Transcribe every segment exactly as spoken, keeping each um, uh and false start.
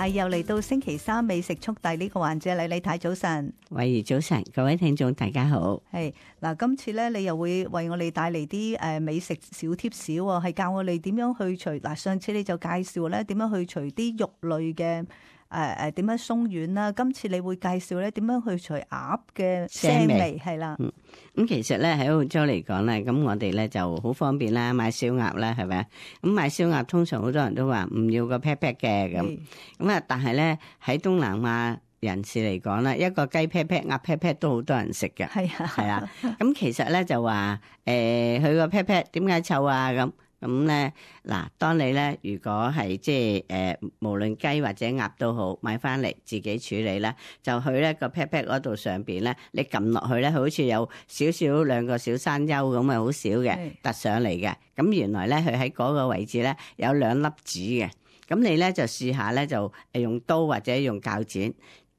係又嚟到星期三美食速遞呢個環節，李李太早晨，慧怡早晨，各位聽眾大家好。係嗱，今次咧你又會為我哋帶嚟啲誒美食小貼士喎，係教我哋點樣去除嗱。上次你就介紹咧點樣去除啲肉類嘅。誒誒點樣鬆軟啦？今次你會介紹咧點樣去除鴨嘅腥味係啦。嗯，咁其實咧喺澳洲嚟講咧，咁我哋咧就好方便啦，買燒鴨啦，係咪啊？咁買燒鴨通常好多人都話唔要個 pat pat 嘅咁，咁啊，但係咧喺東南亞人士嚟講咧，一個雞 pat pat、鴨 pat pat 都好多人食嘅。係啊，係啊。咁其實咧就話誒，佢個 pat pat 點解臭啊？咁咁咧嗱，當你咧如果係即係誒，無論雞或者鴨都好，買翻嚟自己處理啦，就去咧個 pat pat 嗰度上邊咧，你撳落去咧，佢好似有少少兩個小山丘咁啊，好少嘅突上嚟嘅。咁原來咧佢喺嗰個位置咧有兩粒籽嘅。咁你咧就試下咧就誒用刀或者用鉸剪，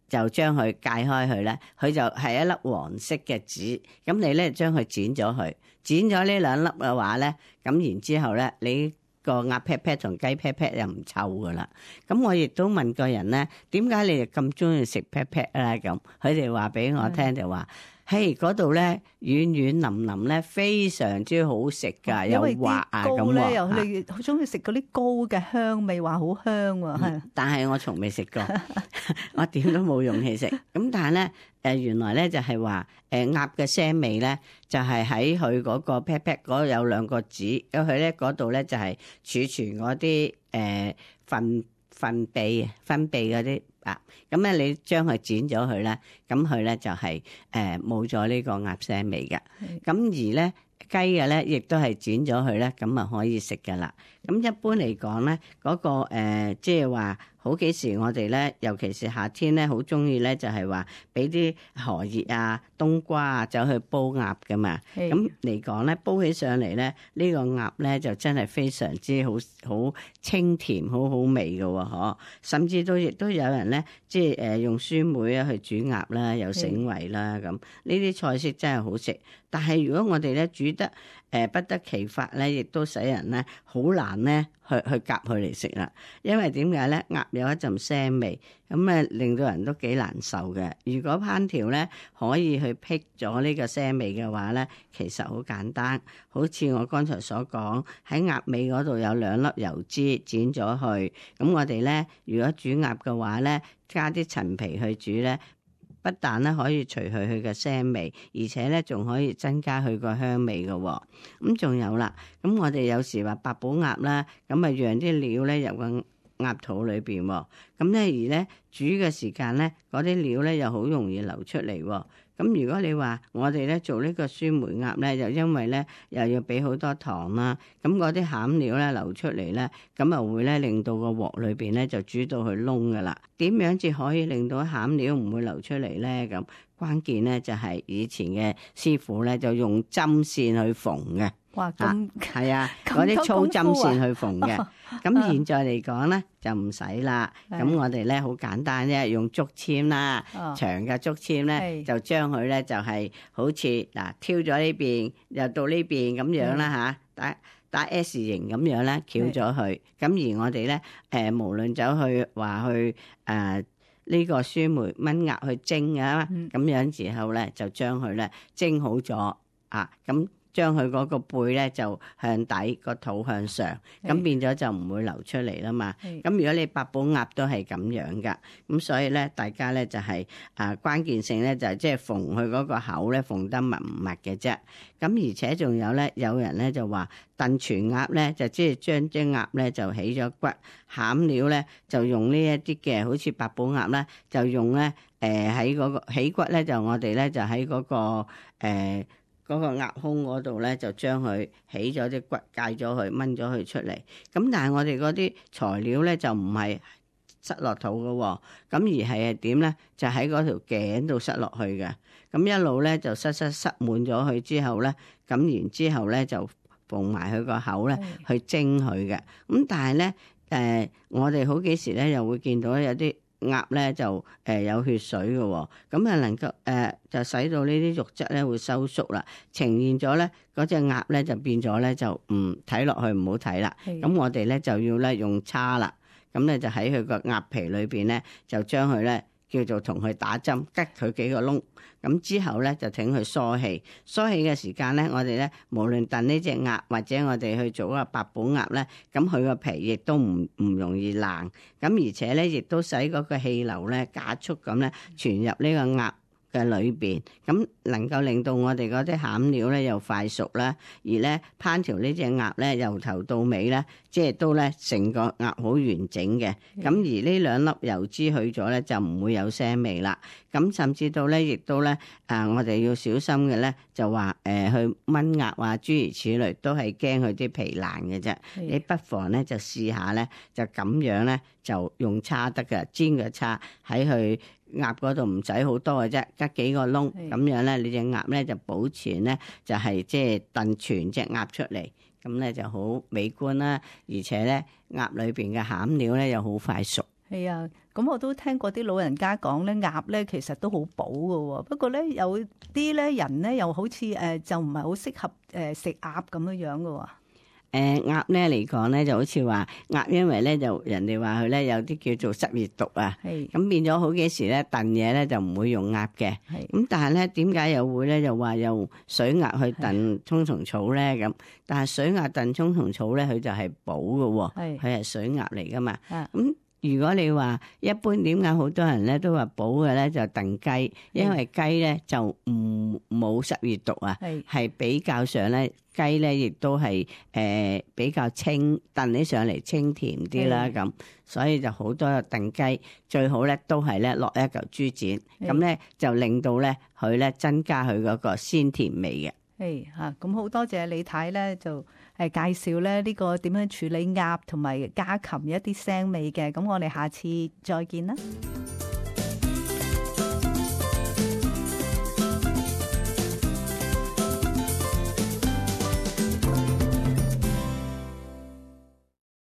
就將佢解開佢咧，佢就係一粒黃色嘅籽。咁你咧將佢剪咗佢，剪咗呢兩粒嘅話咧，咁然之後咧，你個鴨 pat pat 同雞 pat pat 又唔臭噶啦。咁我亦都問過人咧，點解你哋咁中意食 pat pat 咧？咁佢哋話俾我聽就話，嘿嗰度咧軟軟腍腍咧，非常之好食噶，又滑啊咁喎。又你好中意食嗰啲膏嘅香味，話好香喎。係，但係我從未食過，我點都冇勇氣食。咁但係咧，誒原來咧就係話，誒鴨嘅腥味咧，就係喺佢嗰個 pat pat 嗰度有兩個籽，咁佢咧嗰度咧就係儲存嗰啲誒糞糞泌分泌嗰啲啊。咁咧你將佢剪咗佢咧，咁佢咧就係誒冇咗呢個鴨腥味嘅。咁而咧雞嘅咧，亦都係剪咗佢咧，咁啊可以食㗎啦。咁一般嚟講咧，嗰個誒即係話好幾時我哋咧，尤其是夏天咧，好中意咧就係話俾啲荷葉啊、冬瓜啊走去煲鴨㗎嘛。咁嚟講咧，煲起上嚟咧，呢個鴨咧就真係非常之好好清甜、好好味㗎喎，嗬！甚至都亦都有人咧，即係誒用酸梅啊去煮鴨啦，有醒胃啦咁。呢啲菜式真係好食，但係如果我哋咧煮得誒不得其法咧，亦都使人咧好難咧去去夾佢嚟食啦。因為點解咧？鴨有一陣腥味，咁啊令到人都幾難受嘅。如果烹調咧可以去辟咗呢個腥味嘅話咧，其實好簡單。好似我剛才所講，喺鴨尾嗰度有兩粒油脂剪咗去，咁我哋咧如果煮鴨嘅話咧，加啲陳皮去煮咧。不但咧可以除去佢嘅腥味，而且咧仲可以增加佢個香味嘅喎。咁仲有啦，咁我哋有時話八寶鴨啦，咁啊讓啲料咧入個鴨肚裏邊喎。咁咧而咧煮嘅時間咧，嗰啲料咧又好容易流出嚟喎。咁如果你話我哋咧做呢個酸梅鴨咧，就因為咧又要俾好多糖啦，咁嗰啲餡料咧流出嚟咧，咁啊會咧令到個鑊裏邊咧就煮到佢燶噶啦。點樣至可以令到餡料唔會流出嚟咧？咁關鍵咧就係以前嘅師傅咧就用針線去縫嘅。哇！咁係啊，嗰啲粗針線去縫嘅。咁現在嚟講咧就唔使啦。咁我哋咧好簡單啫，用竹籤啦，長嘅竹籤咧就將佢咧就係好似嗱挑咗呢邊又到呢邊咁樣啦嚇，打打 S 型咁樣咧翹咗佢。咁而我哋咧誒無論走去話去誒呢個酸梅炆鴨去蒸啊，咁樣之後咧就將佢咧蒸好咗啊咁。將佢嗰個背咧就向底，個肚向上，咁變咗就唔會流出嚟啦嘛。咁如果你八寶鴨都係咁樣噶，咁所以咧大家咧就係、是、啊關鍵性咧就係即係縫佢嗰個口咧縫得密唔密嘅啫。咁而且仲有咧，有人咧就話燉全鴨咧就即係將隻鴨咧就起咗骨，餡料咧就用呢一啲嘅，好似八寶鴨咧就用咧誒喺嗰個起骨咧就我哋咧就喺嗰、嗰個誒。呃嗰個鴨胸嗰度咧，就將佢起咗啲骨，戒咗佢，掹咗佢出嚟。咁但係我哋嗰啲材料咧，就唔係塞落肚嘅喎，咁而係係點咧？就喺嗰條頸度塞落去嘅。咁一路咧就塞塞塞滿咗佢之後咧，咁然之後咧就縫埋佢個口咧去蒸佢嘅。咁但係咧，誒、呃、我哋好幾時咧又會見到有啲鴨咧就誒有血水嘅喎，咁啊能夠誒、呃、就使到呢啲肉質咧會收縮啦，呈現咗咧嗰隻鴨咧就變咗咧就唔睇落去唔好睇啦。咁我哋咧就要咧用叉啦，咁咧就喺佢個鴨皮裏邊咧，就將佢咧叫做同佢打針，吉佢幾個窿。咁之後咧就請佢疏氣，疏氣嘅時間咧，我哋咧無論燉呢隻鴨或者我哋去做個八寶鴨咧，咁佢個皮亦都唔唔容易爛，咁而且咧亦都使嗰個氣流咧加速咁咧傳入呢個鴨嘅裏邊，咁能夠令到我哋嗰啲餡料咧又快熟啦，而咧烹調呢隻鴨咧由頭到尾咧，即係都咧成個鴨好完整嘅。咁而呢兩粒油脂去咗咧，就唔會有腥味啦。咁甚至到咧，亦都咧啊，我哋要小心嘅咧，就話誒、呃、去炆鴨啊，諸如此類，都係驚佢啲皮爛嘅啫。你不妨咧就試下咧，就咁樣咧就用叉得嘅，煎個叉喺佢鴨嗰度唔使好多嘅啫，吉幾個窿咁樣咧，你隻鴨咧就保存咧就係即係燉全隻鴨出嚟，咁咧就好美觀啦，而且咧鴨裏邊嘅餡料咧又好快熟。係啊，咁我都聽過啲老人家講咧，鴨咧其實都好補㗎喎。不過咧有啲咧人咧又好似誒就唔係好適合誒食鴨咁樣樣㗎喎。誒鴨咧嚟講咧，就好似話鴨，因為咧就人哋話佢咧有啲叫做濕熱毒啊，咁變咗好幾時咧燉嘢咧就唔會用鴨嘅，咁但係咧點解又會咧就話用水鴨去燉葱蟲草咧咁？但係水鴨燉葱蟲草咧，佢就係補嘅喎，佢係水鴨嚟噶嘛，咁。如果你話一般點解好多人咧都話補嘅咧就燉雞，因為雞咧就唔冇濕熱毒啊，係比較上咧雞咧亦都係誒、呃、比較清燉起上嚟清甜啲啦咁，所以就好多燉雞最好咧都係咧落一嚿豬展，咁咧就令到咧佢咧增加佢嗰個鮮甜味嘅。誒嚇，咁好多謝李太咧就。誒介紹咧呢個點樣處理鴨同埋家禽一啲腥味嘅，咁我哋下次再見啦。